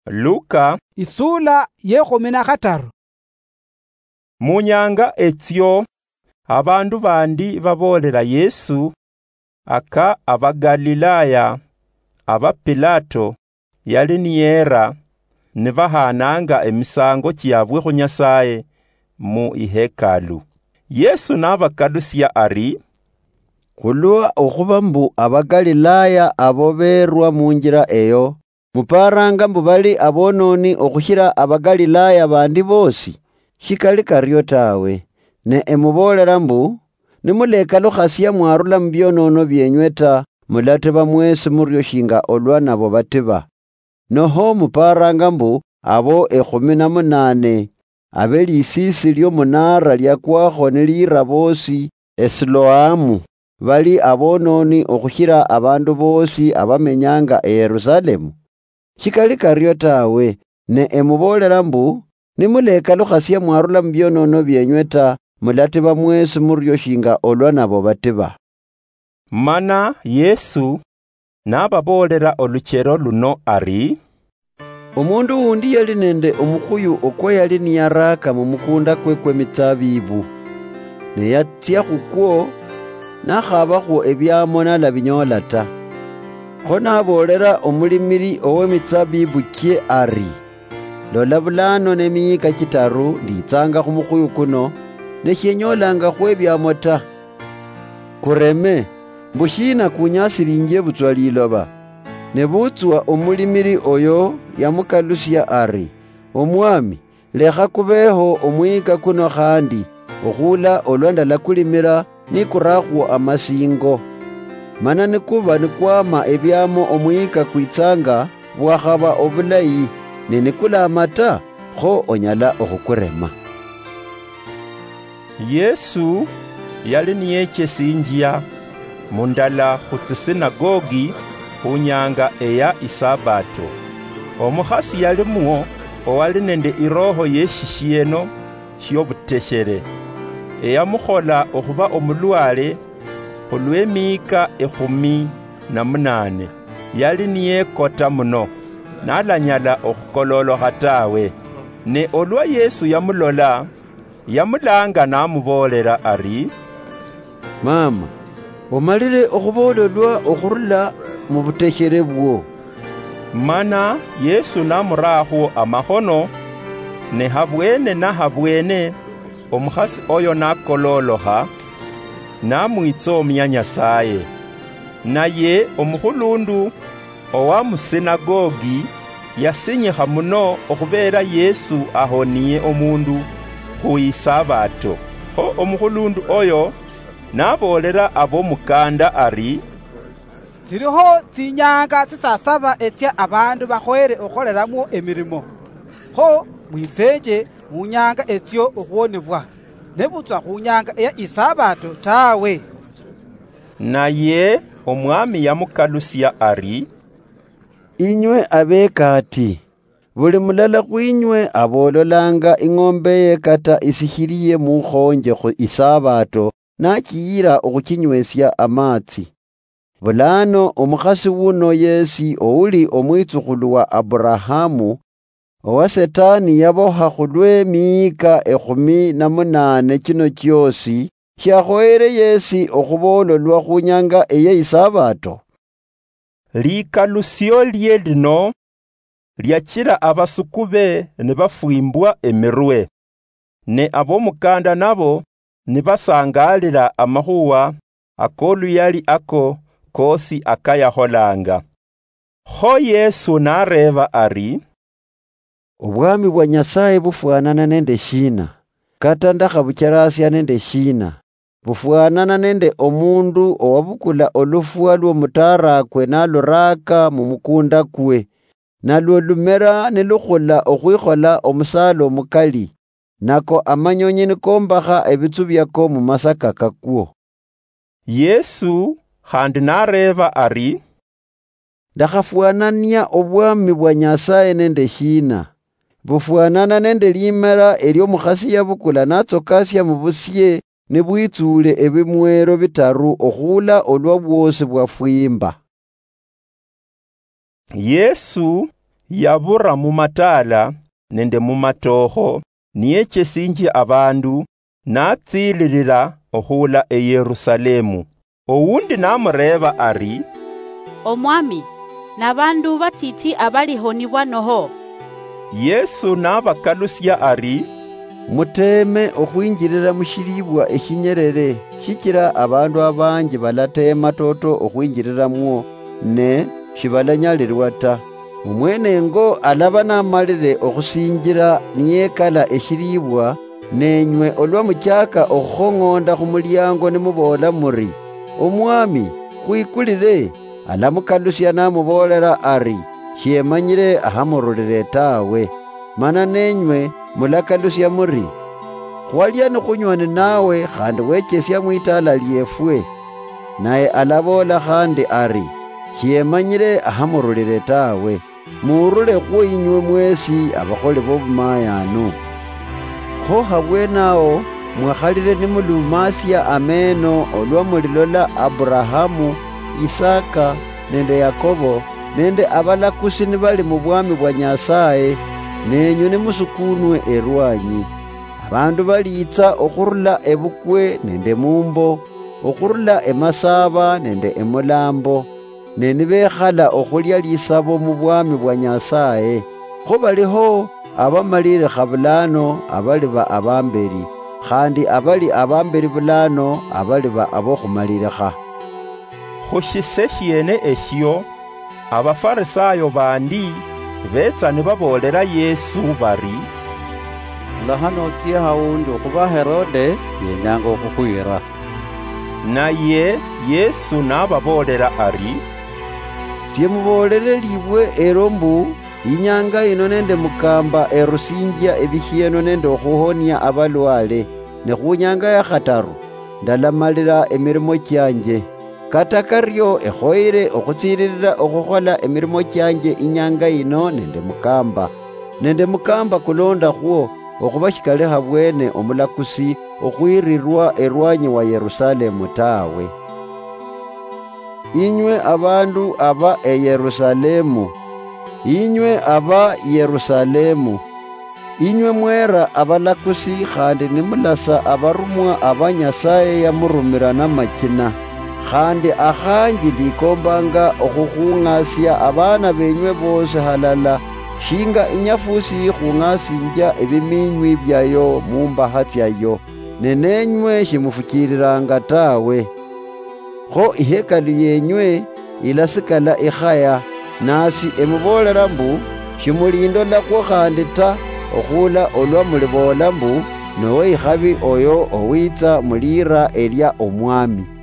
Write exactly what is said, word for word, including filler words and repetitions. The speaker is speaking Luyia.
Luka isula yekhumi na khataru. Mu nyanga etsio, abandu bandi baboolela Yesu aka Abagalilaya aba Pilato yali niyera nibahaananga emisaango chiabwe khu Nyasaye mu ihekalu. Yesu nabakalusia ari, "Khulwa okhuba mbu Abagalilaya abo berwa munjira eyo, muparanga mbu bali abononi okhushira Abagalilaya bandi bosi? Shikali kario tawe. Ne emuboolera mbu, nimulekalukhasia mwarula mubionono bienywe ta, mulatiba mwesi murio shinga olwa nabo batiba. Noho muparanga mbu abo ekhumi na munane abe lisiisi liomunara liakwakho nilira bosi Esiloamu, bali abononi okhushira abandu bosi abamenyanga eYerusalemu? Shikali kario tawe. Ne emuboolera mbu, nimulekalukhasia mwarula mubionono bienywe ta, mulatiba mwesi murio shinga olwa nabo batiba." Mana Yesu nababoolera oluchero luno ari, "Omundu wundi yali nende omukhuyu okwa yali niyaraaka mumukunda kwe kwemitsabibu. Ne yatsia khukwo, nakhabakhwo ebiamo nalabinyoola ta. Kho naboolera omulimiri owemitsabibu chie ari, 'Lola, bulano nemiyika chitaru nditsanga khumukhuyu kuno, ne shienyolangakhwo ebiamo ta. Kureme, mbu shiina kunyasilinjie butswa liloba?' Nebutswa omulimiri oyo yamukalusia ari, 'Omwami, lekha kubeho omuyika kuno khandi, okhula olwa ndalakulimira nikurakhwo amasingo. Mana nikuba nikwama ebiamo omuyika kwitsanga bwakhaba obulayi, ne nikulama ta, kho onyala okhukurema.'" Yesu yali niyechesinjia mundala khu tsisinagogi khu nyanga eya Isabato. Omukhasi yalimwo owali nende iroho yeshishieno shiobuteshere, eyamukhola okhuba omulwale khulw'emiyika ekhumi na munane. Yali niyekota muno, nalanyala okhukololokha tawe. Ne olwa Yesu yamulola, yamulanga namuboolera ari, "Mama, omalire okhuboololwa okhurula mu buteshere bwo." Mana Yesu namurakhwo amakhono, ne habwene na habwene omukhasi oyo nakololokha, namwitsomia Nyasaye. Naye omukhulundu owa musinagogi yasinyikha muno okhubeera Yesu ahoniye omundu khu Isabato. Kho omukhulundu oyo naboolera abomukanda ari, "Tsiliho tsinyanga tsisasaba etsia abandu bakhoyere okhukoleramwo emirimo. Kho mwitsenje munyanga etsio okhuwonebwa, nebutswa khunyanga eya Isabato tawe." Naye Omwami yamukalusia ari, "Inywe abekaati, buli mulala khwinywe abololanga ing'ombe ye kata isikhiliye mukhonje khu Isabato nachiyira okhuchinywesia amatsi. Bulano omukhasi wuno yesi ouli omwitsukhulu wa Aburahamu, owa Setani yaboha khulwe miika ekhumi na munane chino chiosi, shiakhoyere yesi okhubololwa khunyanga eye Isabato?" Likalusiolie lino liachila abasukube nibafwimbwa emirwe, ne abomukanda nabo nibasangalila amakhuwa akoluyali ako kosi akayakholanga. Kho Yesu nareeba ari, "Obwami bwa Nyasaye bufwanana nende shiina? Kata ndakhabucherasia nende shiina? Bufwanana nende omundu owabukula olufwa lwomutarakwe naluraaka mumukunda kwe, nalwo lumera nilukhula okhwikhola omusaala omukali, nako amanyonyi nikombakha ebitsu biako mumasaka kakwo." Yesu khandi nareeba ari, "Ndakhafwanania obwami bwa Nyasaye nende shiina? Bufwanana nende limera eliomukhasi yabukula natsokasia mubusie nibwitsuule ebimwero bitaru okhula olwa bwosi bwafwimba." Yesu yabura mumataala nende mumatookho, niyechesinjia abandu, natsililila okhula eYerusalemu. Owundi namureeba ari, "Omwami, nabandu batiti abaliho nibwanoho?" Yesu nabakalusia ari, "Muteeme okhwinjilila mushilibwa eshinyelele, shichila abandu abanji balateema toto okhwinjililamwo, ne shibalanyalilwa ta. Omwenengo alaba namalile okhusinjila niyekala eshilibwa, nenywe olwa muchaka okhukhong'onda khumuliango nimuboola muri, 'Omwami, khwikulile,' alamukalusia namuboolela ari, 'Shiemanyile ahamurulile tawe.' Mana nenywe mulakalusia muri, 'Khwalia nikhunywa ninawe khandi wechesia mwitaala liefwe.' Naye alaboola khandi ari, 'Shiemanyile ahamurulile tawe.' Muurule khwo inywe mwesi abakholi bobumayanu. Kho habwenaho mwakhalile nimulumasia ameeno olwa mulilola Aburahamu, Isaka, nende Yakobo, nende abalakusi nibali mubwami bwa Nyasaye, nenywe nimusukunwe erwanyi. Abandu baliitsa okhurula ebukwe nende mumbo, okhurula emasaaba nende emulambo, ne nibekhala okhulia lisabo mubwami bwa Nyasaye. Kho baliho abamalilikha bulano abaliba abambeli, khandi abali abambeli bulano abaliba abokhumalilikha." Khushise shiene eshio, Abafarisayo bandi betsa nibaboolela Yesu bari, "Khula hano otsie hawundi, okhuba Herode yenyanga okhukhwira." Naye Yesu nababoolela ari, "Tsie muboolele libwe elo mbu, 'Inyanga ino nende mukamba erusinjia ebishieno nende okhuhonia abalwale, ne khunyanga ya khataru ndalamalila emirimo chianje. Kata kario ekhoyere okhutsililila okhukhola emirimo chianje inyanga ino nende mukamba, nende mukamba kulondakhwo, okhuba shikali habwene omulakusi okhwirirwa erwanyi wa Yerusalemu tawe. Inywe abandu aba eYerusalemu, inywe aba Yerusalemu, inywe mwera abalakusi khandi nimulasa abarumwa aba Nyasaye yamurumira namachina, khandi akhanji ndikombanga okhukhung'asia abana benywe bosi halala, shinga inyafusi yikhung'asinjia ebiminywi biayo mumbaha tsiayo, ne nenywe shimufuchililanga tawe. Kho ihekalu yenywe ilasikala ikhaya, nasi emuboolela mbu, shimulindolakhwo khandi ta, okhula olwa muliboola mbu, 'Nowe ikhabi oyo owitsa muliira elia Omwami.'"